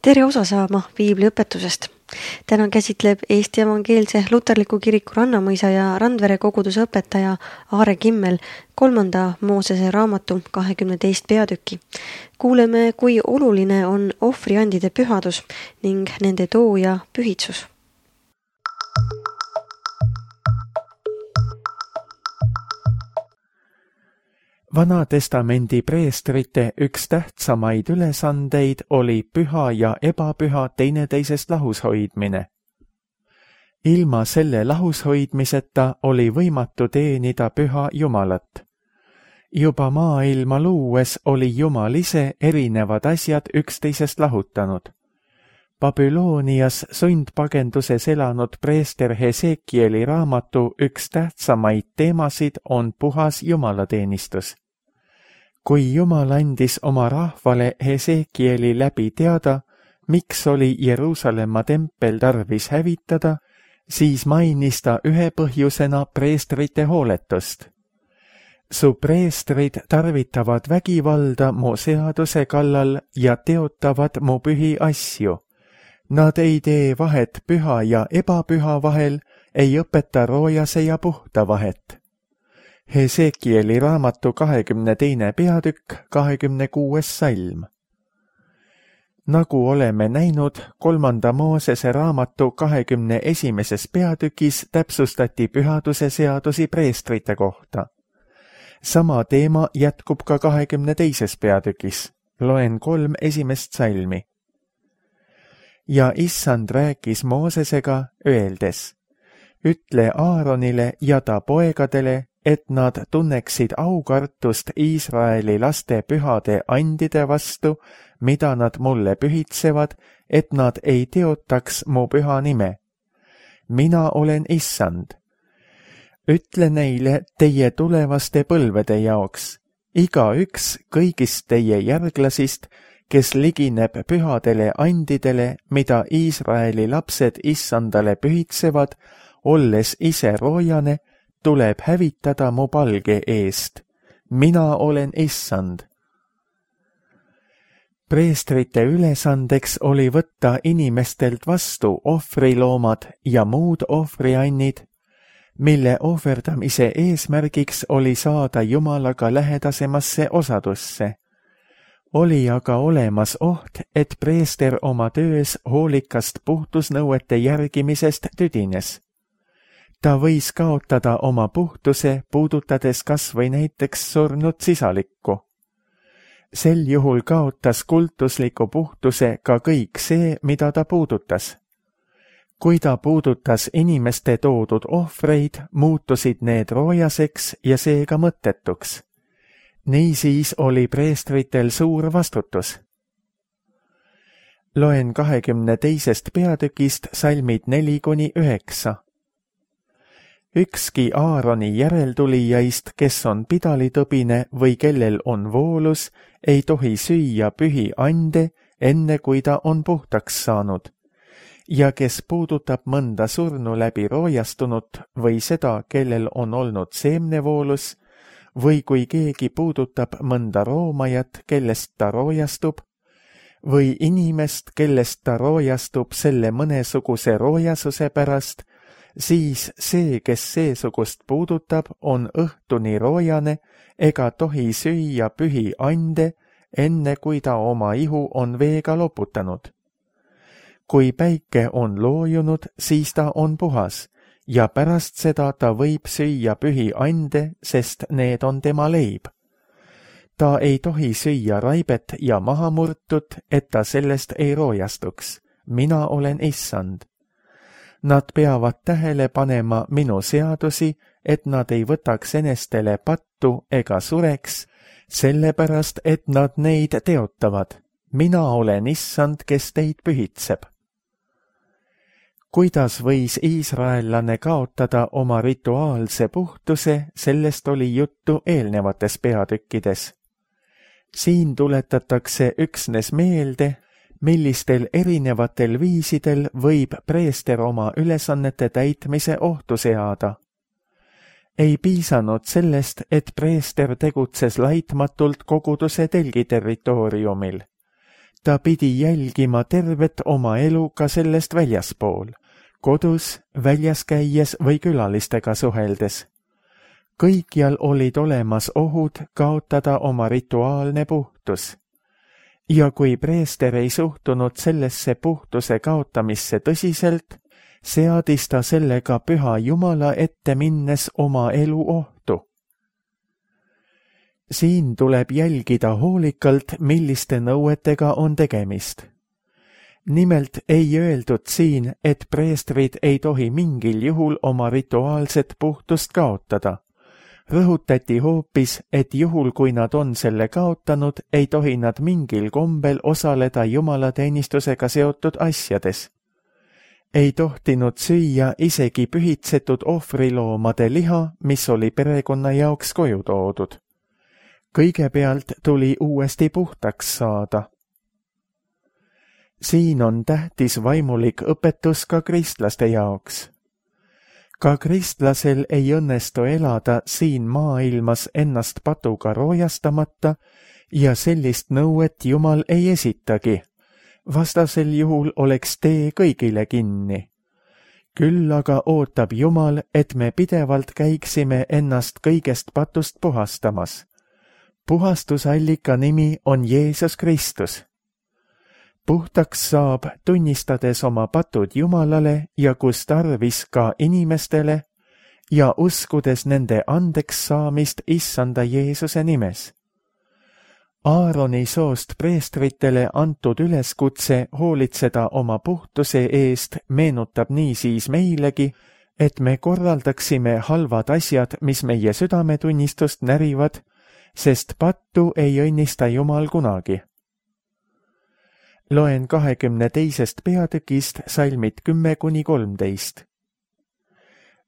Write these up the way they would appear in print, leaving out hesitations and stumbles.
Tere osa saama piibliõpetusest. Täna käsitleb Eesti Evangeelse Luterliku Kiriku Rannamõisa ja Randvere koguduse õpetaja Aare Kimmel 3. Moosese raamatu 22 peatükki. Kuuleme, kui oluline on ohvriandide pühadus ning nende too ja pühitsus. Vana-testamendi preestrite üks tähtsamaid ülesandeid oli püha ja ebapüha teineteisest lahus hoidmine. Ilma selle lahus hoidmiseta oli võimatu teenida püha Jumalat. Juba maailma luues oli Jumal ise erinevad asjad üksteisest lahutanud. Babylonias sundpagenduses elanud preester Hesekieli raamatu üks tähtsamaid teemasid on puhas jumalateenistus. Kui Jumal andis oma rahvale Hesekieli läbi teada, miks oli Jeruusalemma tempel tarvis hävitada, siis mainis ta ühe põhjusena preestrite hooletust. Su preestrid tarvitavad vägivalda mu seaduse kallal ja teotavad mu pühi asju. Nad ei tee vahet püha ja ebapüha vahel, ei õpeta roojase ja puhta vahet. Hesekieli raamatu 22. peatükk, 26. salm. Nagu oleme näinud, 3. Moosese raamatu 21. peatükis täpsustati pühaduse seadusi preestrite kohta. Sama teema jätkub ka 22. peatükis. Loen 3 esimest salmi. Ja Issand rääkis Moosesega, öeldes: ütle Aaronile ja ta poegadele, et nad tunneksid aukartust Iisraeli laste pühade andide vastu, mida nad mulle pühitsevad, et nad ei teotaks mu püha nime. Mina olen Issand. Ütle neile teie tulevaste põlvede jaoks, igaüks kõigist teie järglasist, kes ligineb pühadele andidele, mida Iisraeli lapsed Issandale pühitsevad, olles ise roojane, tuleb hävitada mu palge eest. Mina olen Issand. Preestrite ülesandeks oli võtta inimestelt vastu ohvriloomad ja muud ohvriannid, mille ohverdamise eesmärgiks oli saada Jumalaga lähedasemasse osadusse. Oli aga olemas oht, et preester oma töös hoolikast puhtusnõuete järgimisest tüdines. Ta võis kaotada oma puhtuse, puudutades kas või näiteks surnud sisalikku. Sel juhul kaotas kultusliku puhtuse ka kõik see, mida ta puudutas. Kui ta puudutas inimeste toodud ohvreid, muutusid need roojaseks ja seega mõttetuks. Niisiis oli preestritel suur vastutus. Loen 22. peatükist salmid 4-9. Ükski Aaroni järeltulijaist, kes on pidalitõbine või kellel on voolus, ei tohi süüa pühi ande, enne kui ta on puhtaks saanud. Ja kes puudutab mõnda surnu läbi roojastunut või seda, kellel on olnud seemnevoolus, või kui keegi puudutab mõnda roomajat, kellest ta roojastub, või inimest, kellest ta roojastub selle mõnesuguse roojasuse pärast, siis see, kes seesugust puudutab, on õhtuni roojane ega tohi süüa pühi ande, enne kui ta oma ihu on veega loputanud. Kui päike on loojunud, siis ta on puhas ja pärast seda ta võib süüa pühi ande, sest need on tema leib. Ta ei tohi süüa raibet ja mahamurtut, et ta sellest ei roojastuks. Mina olen Issand. Nad peavad tähele panema minu seadusi, et nad ei võtaks enestele pattu ega sureks, sellepärast, et nad neid teotavad. Mina olen Issand, kes teid pühitseb. Kuidas võis iisraellane kaotada oma rituaalse puhtuse, sellest oli juttu eelnevates peatükkides. Siin tuletatakse üksnes meelde, millistel erinevatel viisidel võib preester oma ülesannete täitmise ohtu seada. Ei piisanud sellest, et preester tegutses laitmatult koguduse telgi territooriumil. ta pidi jälgima tervet oma elu ka sellest väljaspool, kodus, väljas käies või külalistega suheldes. Kõikjal olid olemas ohud kaotada oma rituaalne puhtus. Ja kui preester ei suhtunud sellesse puhtuse kaotamisse tõsiselt, seadis ta sellega püha Jumala ette minnes oma elu ohtu. Siin tuleb jälgida hoolikalt, milliste nõuetega on tegemist. Nimelt ei öeldud siin, et preestrid ei tohi mingil juhul oma rituaalset puhtust kaotada. Rõhutati hoopis, et juhul kui nad on selle kaotanud, ei tohi nad mingil kombel osaleda jumalateenistusega seotud asjades. Ei tohtinud süüa isegi pühitsetud ohvriloomade liha, mis oli perekonna jaoks koju toodud. Kõigepealt tuli uuesti puhtaks saada. Siin on tähtis vaimulik õpetus ka kristlaste jaoks. Ka kristlasel ei õnnestu elada siin maailmas ennast patuga roojastamata ja sellist nõuet Jumal ei esitagi. Vastasel juhul oleks tee kõigile kinni. Küll aga ootab Jumal, et me pidevalt käiksime ennast kõigest patust puhastamas. Puhastusallika nimi on Jeesus Kristus. Puhtaks saab, tunnistades oma patud Jumalale ja kus tarvis ka inimestele ja uskudes nende andeks saamist Issanda Jeesuse nimes. Aaroni soost preestritele antud üleskutse hoolitseda oma puhtuse eest meenutab niisiis meilegi, et me korraldaksime halvad asjad, mis meie südametunnistust närivad, sest pattu ei õnnista Jumal kunagi. Loen 22. peatükist salmid 10–13.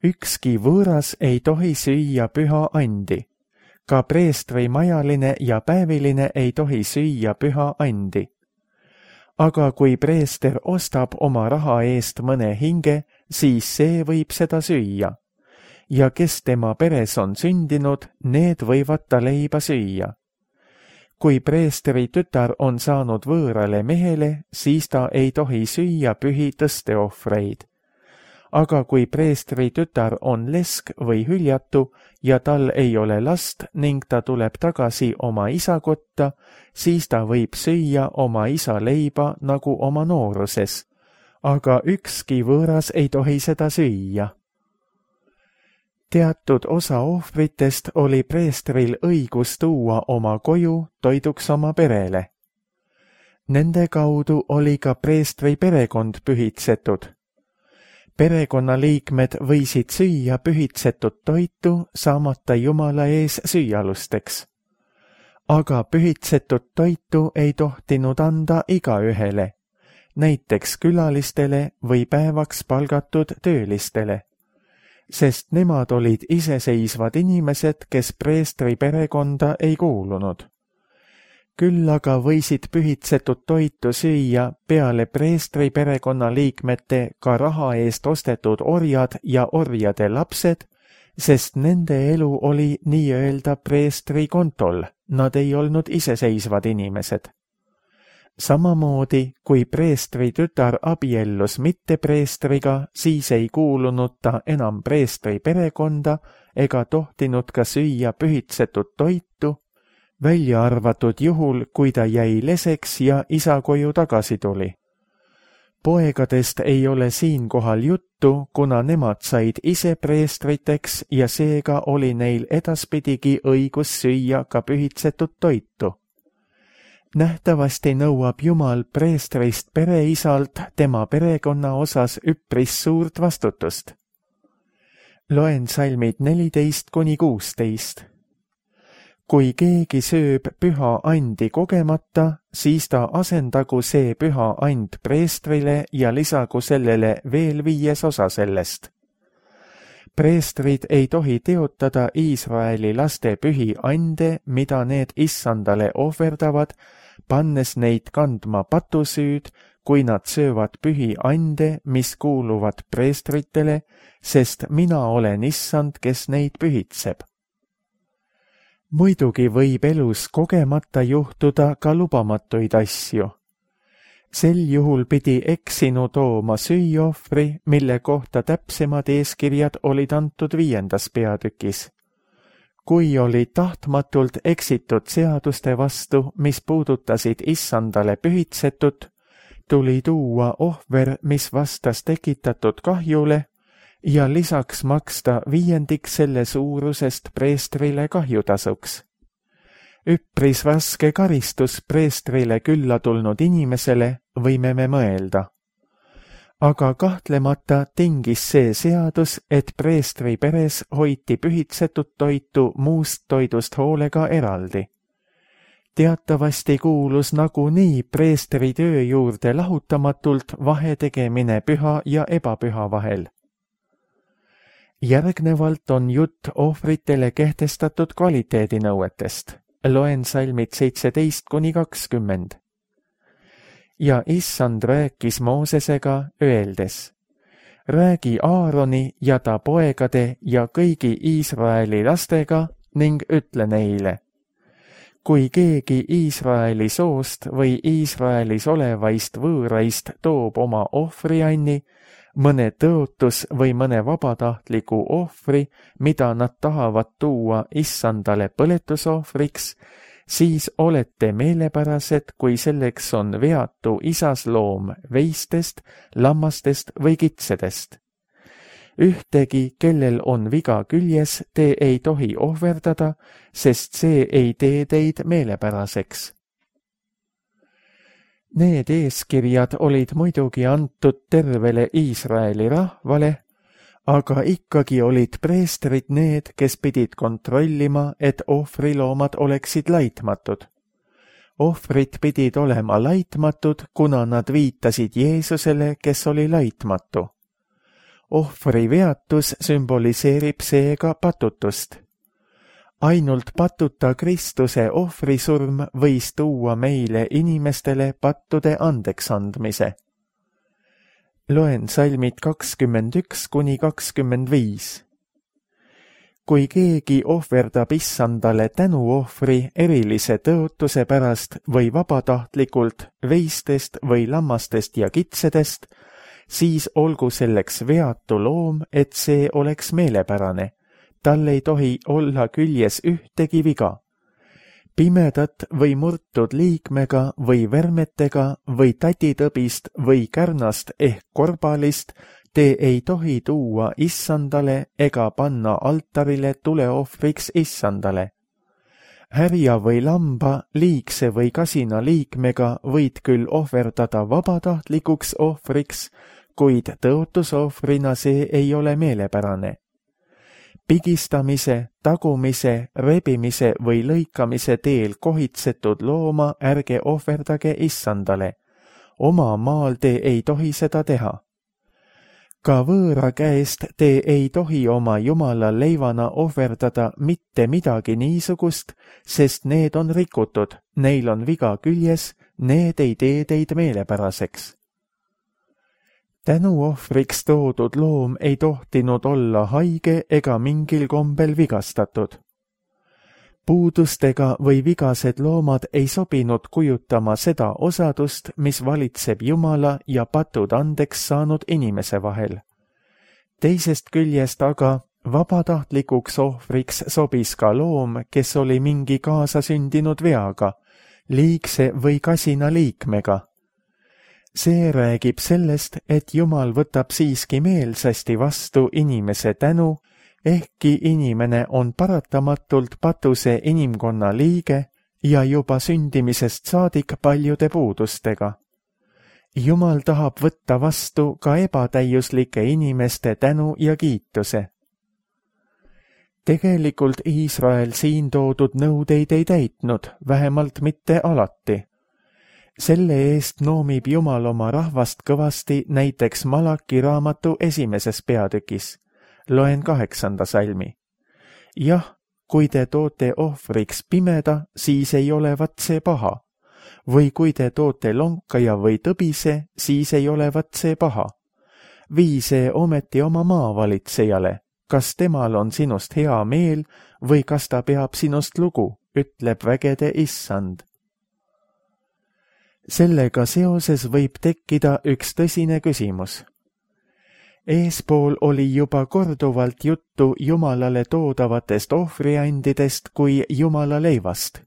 Ükski võõras ei tohi süüa püha andi. Ka preestri majaline ja päeviline ei tohi süüa püha andi. Aga kui preester ostab oma raha eest mõne hinge, siis see võib seda süüa. Ja kes tema peres on sündinud, need võivad ta leiba süüa. Kui preestri tütar on saanud võõrale mehele, siis ta ei tohi süüa pühi tõsteohvreid. Aga kui preestri tütar on lesk või hüljatu ja tal ei ole last ning ta tuleb tagasi oma isa kotta, siis ta võib süüa oma isa leiba nagu oma nooruses. Aga ükski võõras ei tohi seda süüa. Teatud osa ohvritest oli preestril õigus tuua oma koju toiduks oma perele. Nende kaudu oli ka preestri perekond pühitsetud. Perekonnaliikmed võisid süüa pühitsetud toitu saamata Jumala ees süüalusteks. Aga pühitsetud toitu ei tohtinud anda igaühele, näiteks külalistele või päevaks palgatud töölistele. Sest nemad olid iseseisvad inimesed, kes preestri perekonda ei kuulunud. Küll aga võisid pühitsetud toitu süüa peale preestri perekonna liikmete ka raha eest ostetud orjad ja orjade lapsed, sest nende elu oli nii-öelda preestri kontol, nad ei olnud iseseisvad inimesed. Samamoodi, kui preestri tütar abiellus mitte preestriga, siis ei kuulunud ta enam preestri perekonda ega tohtinud ka süüa pühitsetud toitu, välja arvatud juhul, kui ta jäi leseks ja isa koju tagasi tuli. Poegadest ei ole siinkohal juttu, kuna nemad said ise preestriteks ja seega oli neil edaspidigi õigus süüa ka pühitsetud toitu. Nähtavasti nõuab Jumal preestrist pereisalt tema perekonna osas üpris suurt vastutust. Loen salmid 14–16. Kui keegi sööb püha andi kogemata, siis ta asendagu see püha and preestrile ja lisagu sellele veel 5 osa sellest. Preestrid ei tohi teotada Iisraeli laste pühi ande, mida need Issandale ohverdavad, pannes neid kandma patusüüd, kui nad söövad pühi ande, mis kuuluvad preestritele, sest mina olen Issand, kes neid pühitseb. Muidugi võib elus kogemata juhtuda ka lubamatuid asju. Sel juhul pidi eksinu tooma süüohvri, mille kohta täpsemad eeskirjad olid antud 5. peatükis. Kui oli tahtmatult eksitud seaduste vastu, mis puudutasid issandale pühitsetut, tuli tuua ohver, mis vastas tekitatud kahjule ja lisaks maksta 5 selle suurusest preestrile kahjutasuks. Üpris raske karistus preestrile külla tulnud inimesele, võime me mõelda. Aga kahtlemata tingis see seadus, et preestri peres hoiti pühitsetud toitu muust toidust hoolega eraldi. Teatavasti kuulus nagunii preestri töö juurde lahutamatult vahe tegemine püha ja ebapüha vahel. Järgnevalt on jutt ohvritele kehtestatud kvaliteedinõuetest. Loen salmid 17–20. Ja issand rääkis Moosesega öeldes, räägi Aaroni ja ta poegade ja kõigi Iisraeli lastega ning ütle neile, kui keegi Iisraeli soost või Iisraelis olevaist võõraist toob oma ohvrianni, mõne tõotus või mõne vabatahtliku ohvri, mida nad tahavad tuua issandale põletusohvriks, siis olete meelepärased, kui selleks on veatu isasloom veistest, lammastest või kitsedest. Ühtegi, kellel on viga küljes, te ei tohi ohverdada, sest see ei tee teid meelepäraseks. Need eeskirjad olid muidugi antud tervele Iisraeli rahvale, aga ikkagi olid preestrid need, kes pidid kontrollima, et ohvriloomad oleksid laitmatud. Ohvrid pidid olema laitmatud, kuna nad viitasid Jeesusele, kes oli laitmatu. Ohvri veatus sümboliseerib seega patutust. Ainult patuta Kristuse ohvrisurm võis tuua meile inimestele pattude andeksandmise. Loen salmid 21–25. Kui keegi ohverdab issandale tänuohvri erilise tõotuse pärast või vabatahtlikult veistest või lammastest ja kitsedest, siis olgu selleks veatu loom, et see oleks meelepärane. Tal ei tohi olla küljes ühtegi viga. Pimedat või murtud liikmega või vermetega või tatitõbist või kärnast ehk korbalist te ei tohi tuua issandale ega panna altarile tuleohvriks issandale. Härja või lamba, liigse või kasina liikmega võid küll ohverdada vabatahtlikuks ohvriks, kuid tõotusohvrina see ei ole meelepärane. Pigistamise, tagumise, rebimise või lõikamise teel kohitsetud looma ärge ohverdage issandale. Oma maal te ei tohi seda teha. Ka võõra käest te ei tohi oma Jumala leivana ohverdada mitte midagi niisugust, sest need on rikutud, neil on viga küljes, need ei tee teid meelepäraseks. Tänuohvriks toodud loom ei tohtinud olla haige ega mingil kombel vigastatud. Puudustega või vigased loomad ei sobinud kujutama seda osadust, mis valitseb Jumala ja patud andeks saanud inimese vahel. Teisest küljest aga vabatahtlikuks ohvriks sobis ka loom, kes oli mingi kaasasündinud veaga, liigse või kasina liikmega. See räägib sellest, et Jumal võtab siiski meelsasti vastu inimese tänu, ehkki inimene on paratamatult patuse inimkonna liige ja juba sündimisest saadik paljude puudustega. Jumal tahab võtta vastu ka ebatäiuslike inimeste tänu ja kiituse. Tegelikult Iisrael siin toodud nõudeid ei täitnud, vähemalt mitte alati. Selle eest noomib Jumal oma rahvast kõvasti näiteks Malaki raamatu 1. peatükis. Loen 8. salmi. Jah, kui te toote ohvriks pimeda, siis ei olevat see paha. Või kui te toote lonkaja või tõbise, siis ei olevat see paha. Vii see ometi oma maavalitsejale. Kas temal on sinust hea meel või kas ta peab sinust lugu, ütleb vägede issand. Sellega seoses võib tekkida üks tõsine küsimus. Eespool oli juba korduvalt juttu Jumalale toodavatest ohvriandidest kui Jumala leivast.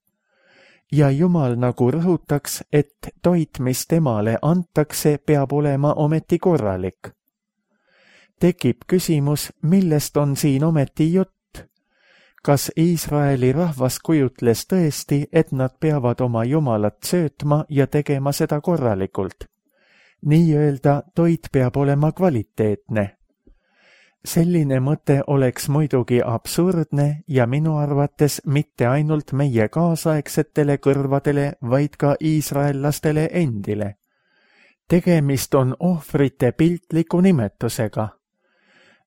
Ja Jumal nagu rõhutaks, et toit, mis temale antakse, peab olema ometi korralik. Tekib küsimus, millest on siin ometi jutt? Kas Iisraeli rahvas kujutles tõesti, et nad peavad oma Jumalat söötma ja tegema seda korralikult? Nii-öelda toit peab olema kvaliteetne. Selline mõte oleks muidugi absurdne ja minu arvates mitte ainult meie kaasaegsetele kõrvadele, vaid ka iisraellastele endile. Tegemist on ohvrite piltliku nimetusega.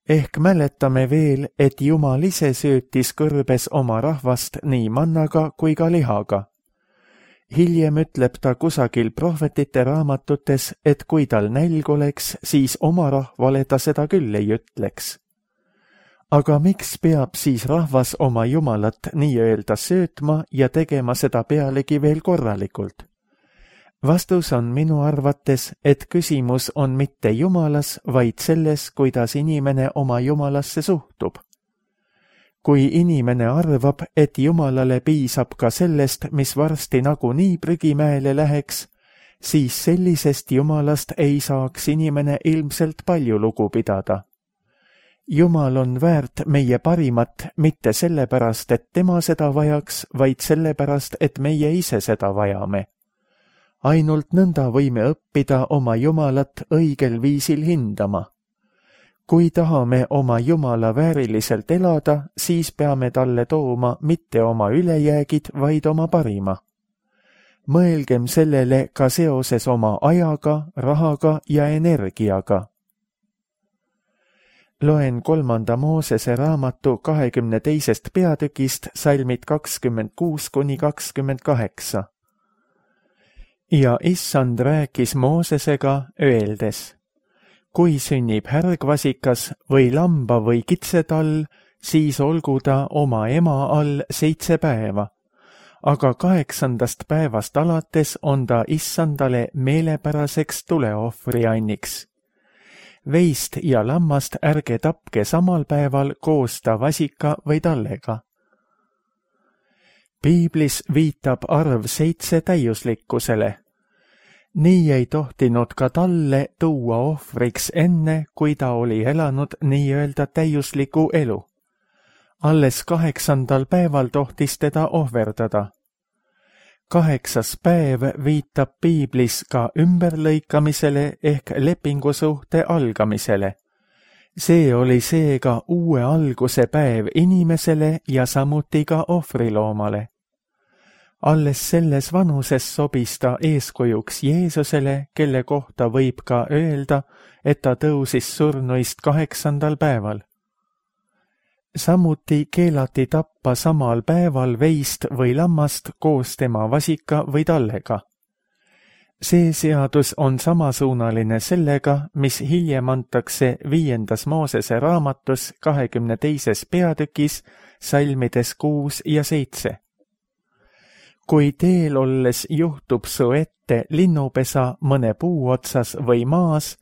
Ehk mäletame veel, et Jumal ise söötis kõrbes oma rahvast nii mannaga kui ka lihaga. Hiljem ütleb ta kusagil prohvetite raamatutes, et kui tal nälg oleks, siis oma rahvale ta seda küll ei ütleks. Aga miks peab siis rahvas oma Jumalat nii-öelda söötma ja tegema seda pealegi veel korralikult? Vastus on minu arvates, et küsimus on mitte Jumalas, vaid selles, kuidas inimene oma Jumalasse suhtub. Kui inimene arvab, et Jumalale piisab ka sellest, mis varsti nagunii prügimäele läheks, siis sellisest Jumalast ei saaks inimene ilmselt palju lugu pidada. Jumal on väärt meie parimat mitte sellepärast, et tema seda vajaks, vaid sellepärast, et meie ise seda vajame. Ainult nõnda võime õppida oma Jumalat õigel viisil hindama. Kui tahame oma Jumala vääriliselt elada, siis peame talle tooma mitte oma ülejäägid, vaid oma parima. Mõelgem sellele ka seoses oma ajaga, rahaga ja energiaga. Loen 3. Moosese raamatu 22. peatükist salmid 26–28. Ja issand rääkis Moosesega, öeldes: kui sünnib härgvasikas või lamba või kitsetall, siis olgu ta oma ema all 7 päeva. Aga 8. päevast alates on ta issandale meelepäraseks tuleohvrianniks. Veist ja lammast ärge tapke samal päeval koos ta vasika või tallega. Piiblis viitab arv 7 täiuslikkusele. Nii ei tohtinud ka talle tuua ohvriks enne, kui ta oli elanud nii-öelda täiusliku elu. Alles 8. päeval tohtis teda ohverdada. 8. päev viitab Piiblis ka ümberlõikamisele ehk lepingusuhte algamisele. See oli seega uue alguse päev inimesele ja samuti ka ohvriloomale. Alles selles vanuses sobis ta eeskujuks Jeesusele, kelle kohta võib ka öelda, et ta tõusis surnuist 8. päeval. Samuti keelati tappa samal päeval veist või lammast koos tema vasika või tallega. See seadus on samasuunaline sellega, mis hiljem antakse 5. Moosese raamatus 22. peatükis salmides 6 ja 7. Kui teel olles juhtub su ette linnupesa mõne puu otsas või maas,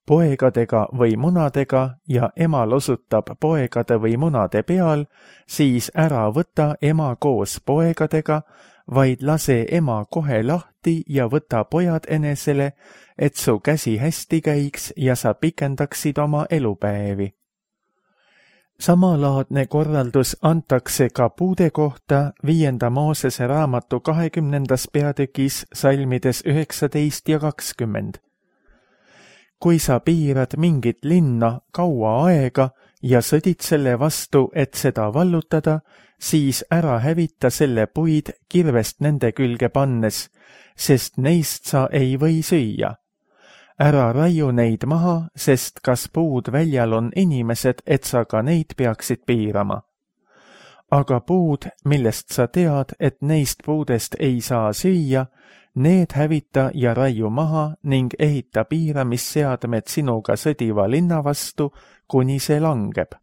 poegadega või munadega ja emal osutab poegade või munade peal, siis ära võta ema koos poegadega, vaid lase ema kohe lahti ja võta pojad enesele, et su käsi hästi käiks ja sa pikendaksid oma elupäevi. Samalaadne korraldus antakse ka puude kohta 5. Moosese raamatu 20. peatükis salmides 19 ja 20. Kui sa piirad mingit linna kaua aega ja sõdid selle vastu, et seda vallutada, siis ära hävita selle puid kirvest nende külge pannes, sest neist sa ei või süüa. Ära raiu neid maha, sest kas puud väljal on inimesed, et sa ka neid peaksid piirama. Aga puud, millest sa tead, et neist puudest ei saa süüa, need hävita ja raiu maha ning ehita piiramisseadmed sinuga sõdiva linna vastu, kuni see langeb.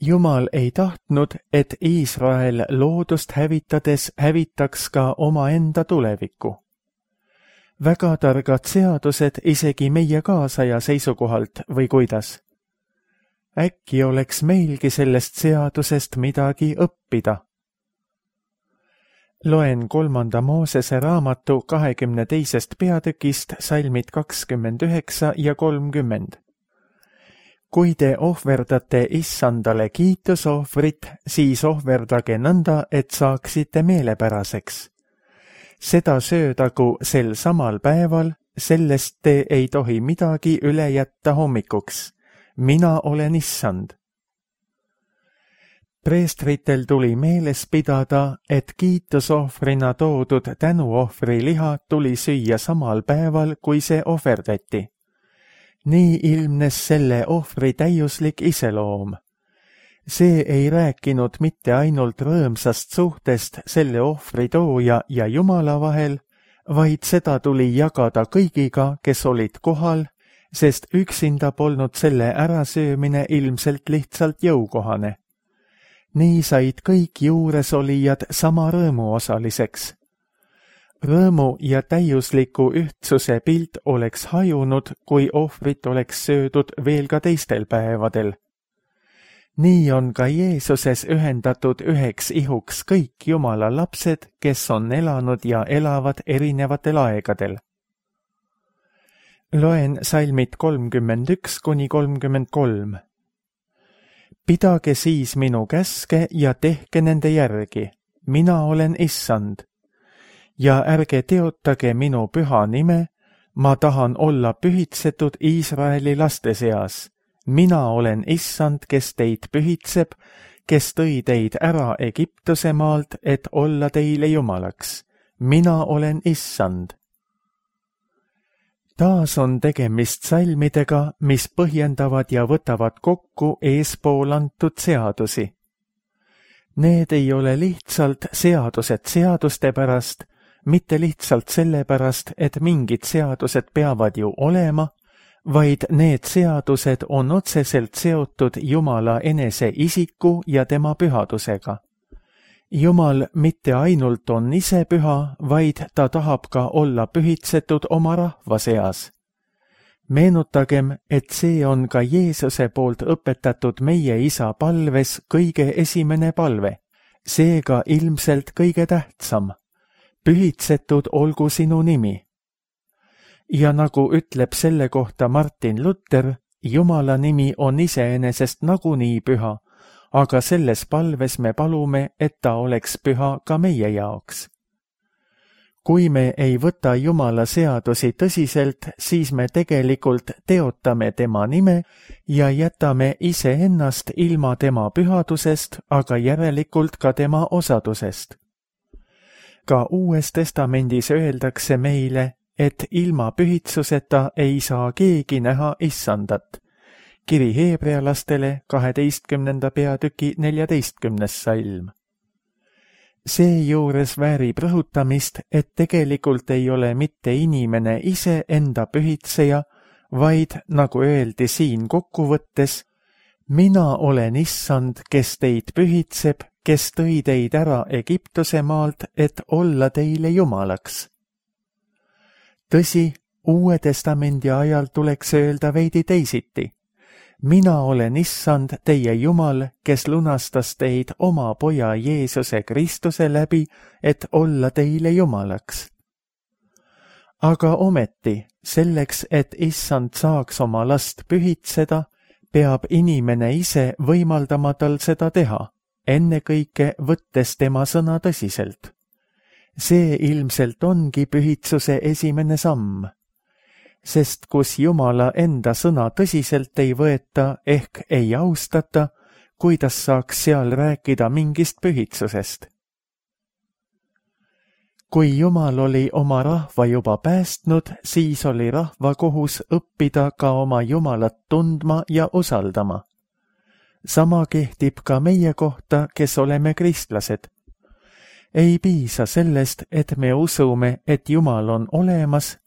Jumal ei tahtnud, et Iisrael loodust hävitades hävitaks ka omaenda tulevikku. Väga targad seadused isegi meie kaasaja seisukohalt või kuidas? Äkki oleks meilgi sellest seadusest midagi õppida? Loen 3. Moosese raamatu 22. peatükist salmid 29 ja 30. Kui te ohverdate Issandale kiitusohvrit, siis ohverdage nõnda, et saaksite meelepäraseks. Seda söödagu sel samal päeval, sellest te ei tohi midagi üle jätta hommikuks. Mina olen Issand. Preestritel tuli meeles pidada, et kiitusohvrina toodud tänuohvri liha tuli süüa samal päeval, kui see ohverdati. Nii ilmnes selle ohvri täiuslik iseloom. See ei rääkinud mitte ainult rõõmsast suhtest selle ohvri tooja ja Jumala vahel, vaid seda tuli jagada kõigiga, kes olid kohal, sest üksinda polnud selle ärasöömine ilmselt lihtsalt jõukohane. Nii said kõik juuresolijad sama rõõmu osaliseks. Rõõmu ja täiusliku ühtsuse pilt oleks hajunud, kui ohvrit oleks söödud veel ka teistel päevadel. Nii on ka Jeesuses ühendatud üheks ihuks kõik Jumala lapsed, kes on elanud ja elavad erinevatel aegadel. Loen salmid 31 kuni 33. Pidage siis minu käske ja tehke nende järgi. Mina olen Issand. Ja ärge teotage minu püha nime, ma tahan olla pühitsetud Iisraeli laste seas. Mina olen Issand, kes teid pühitseb, kes tõi teid ära Egiptuse maalt, et olla teile Jumalaks. Mina olen Issand. Taas on tegemist salmidega, mis põhjendavad ja võtavad kokku eespool antud seadusi. Need ei ole lihtsalt seadused seaduste pärast, mitte lihtsalt sellepärast, et mingid seadused peavad ju olema, vaid need seadused on otseselt seotud Jumala enese isiku ja tema pühadusega. Jumal mitte ainult on ise püha, vaid ta tahab ka olla pühitsetud oma rahva seas. Meenutagem, et see on ka Jeesuse poolt õpetatud meie isa palves kõige esimene palve, seega ilmselt kõige tähtsam. Pühitsetud olgu sinu nimi. Ja nagu ütleb selle kohta Martin Luther, Jumala nimi on iseenesest nagunii püha, aga selles palves me palume, et ta oleks püha ka meie jaoks. Kui me ei võta Jumala seadusi tõsiselt, siis me tegelikult teotame tema nime ja jätame iseennast ilma tema pühadusest, aga järelikult ka tema osadusest. Ka Uues Testamendis öeldakse meile, et ilma pühitsuseta ei saa keegi näha Issandat. Kiri heebrealastele 12. peatüki 14. salm. Seejuures väärib rõhutamist, et tegelikult ei ole mitte inimene ise enda pühitseja, vaid, nagu öeldi siin kokkuvõttes, mina olen Issand, kes teid pühitseb, kes tõi teid ära Egiptuse maalt, et olla teile Jumalaks. Tõsi, Uue Testamendi ajal tuleks öelda veidi teisiti. Mina olen Issand, teie Jumal, kes lunastas teid oma poja Jeesuse Kristuse läbi, et olla teile Jumalaks. Aga ometi, selleks, et Issand saaks oma last pühitseda, peab inimene ise võimaldama tal seda teha, ennekõike võttes tema sõna tõsiselt. See ilmselt ongi pühitsuse esimene samm. Sest kus Jumala enda sõna tõsiselt ei võeta ehk ei austata, kuidas saaks seal rääkida mingist pühitsusest? Kui Jumal oli oma rahva juba päästnud, siis oli rahva kohus õppida ka oma Jumalat tundma ja usaldama. Sama kehtib ka meie kohta, kes oleme kristlased. Ei piisa sellest, et me usume, et Jumal on olemas,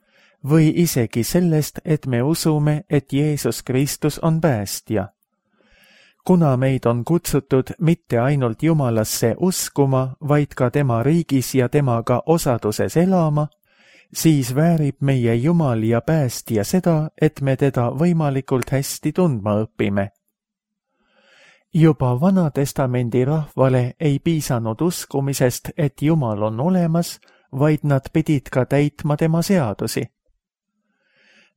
või isegi sellest, et me usume, et Jeesus Kristus on päästja. kuna meid on kutsutud mitte ainult Jumalasse uskuma, vaid ka tema riigis ja temaga osaduses elama, siis väärib meie Jumal ja päästja seda, et me teda võimalikult hästi tundma õpime. Juba Vana-testamendi rahvale ei piisanud uskumisest, et Jumal on olemas, vaid nad pidid ka täitma tema seadusi.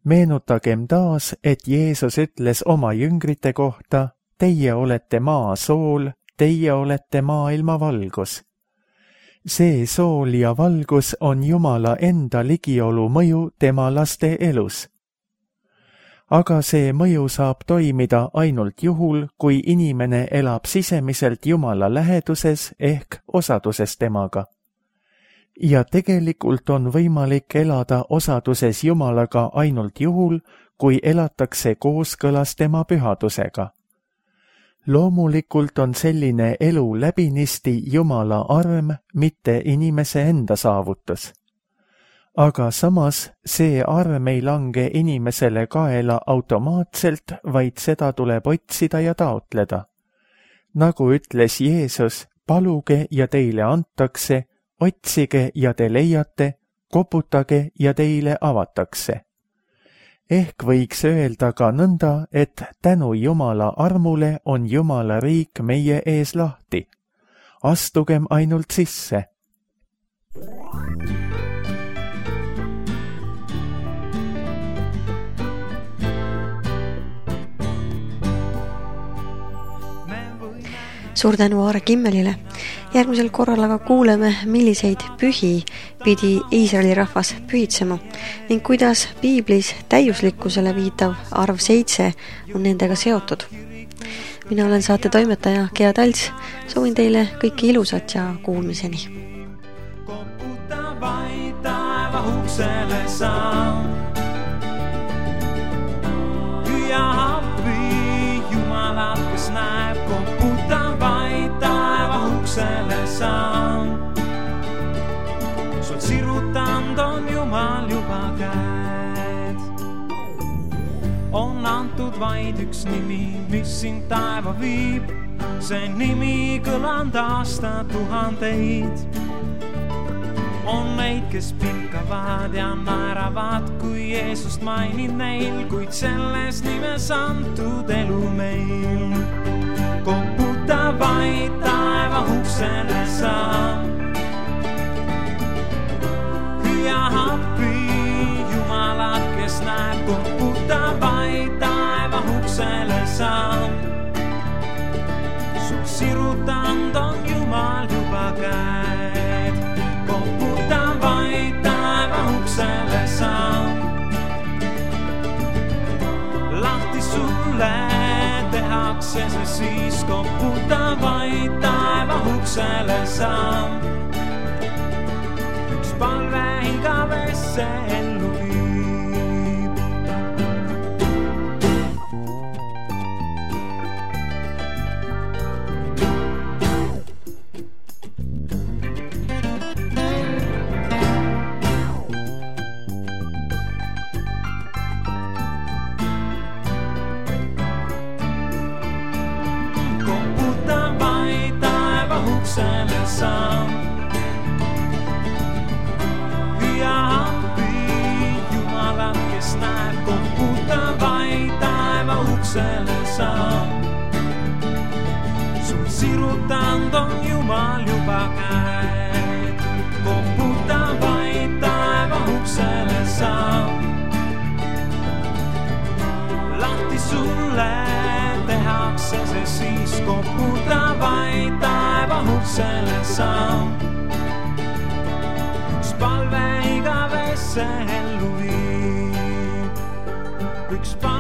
Meenutagem taas, et Jeesus ütles oma jüngrite kohta: teie olete maa sool, teie olete maailma valgus. See sool ja valgus on Jumala enda ligiolu mõju tema laste elus. Aga see mõju saab toimida ainult juhul, kui inimene elab sisemiselt Jumala läheduses ehk osaduses temaga. Ja tegelikult on võimalik elada osaduses Jumalaga ainult juhul, kui elatakse kooskõlas tema pühadusega. Loomulikult on selline elu läbinisti Jumala arm, mitte inimese enda saavutus. Aga samas see arm ei lange inimesele kaela automaatselt, vaid seda tuleb otsida ja taotleda. Nagu ütles Jeesus, paluge ja teile antakse, otsige ja te leiate, koputage ja teile avatakse. Ehk võiks öelda ka nõnda, et tänu Jumala armule on Jumala riik meie ees lahti. Astugem ainult sisse. Suur tänu Aare Kimmelile. Järgmisel korral aga kuuleme, milliseid pühi pidi Iisraeli rahvas pühitsema ning kuidas piiblis täiuslikkusele viitav arv 7 on nendega seotud. Mina olen saate toimetaja Gea Talts. Soovin teile kõike ilusat ja kuulmiseni. Koputa vaid taeva uksele saa. Hüüa appi Jumalat, kes näeb. Koputa vaid taeva uksele saa. Sul sirutand on Jumal juba käed. On antud vaid üks nimi, mis sind taeva viib. See nimi kõlanud aastatuhandeid. On neid, kes pilkavad ja naeravad, kui Jeesust mainid neil, kuid selles nimes antud elu meil. Koputa vaid taeva uksele saa. Hüüa appi Jumalat, kes näeb. Koputa vaid taeva uksele saa. Sul sirutand on Jumal juba käed. Koputa vaid taeva uksele saa. Lahti sulle tehakse see siis. Koputa vaid taeva uksele saa. Üks palve igavesse ellu viib. Hüüa appi Jumalat, kes näeb. Koputa vaid taeva uksele saa. Sul sirutand on Jumal juba käed. Koputa vaid taeva uksele saa. Lahti sulle tehakse see siis. Koputa vaid taeva uksele saa. Üks palve igavesse ellu viib. Üks palve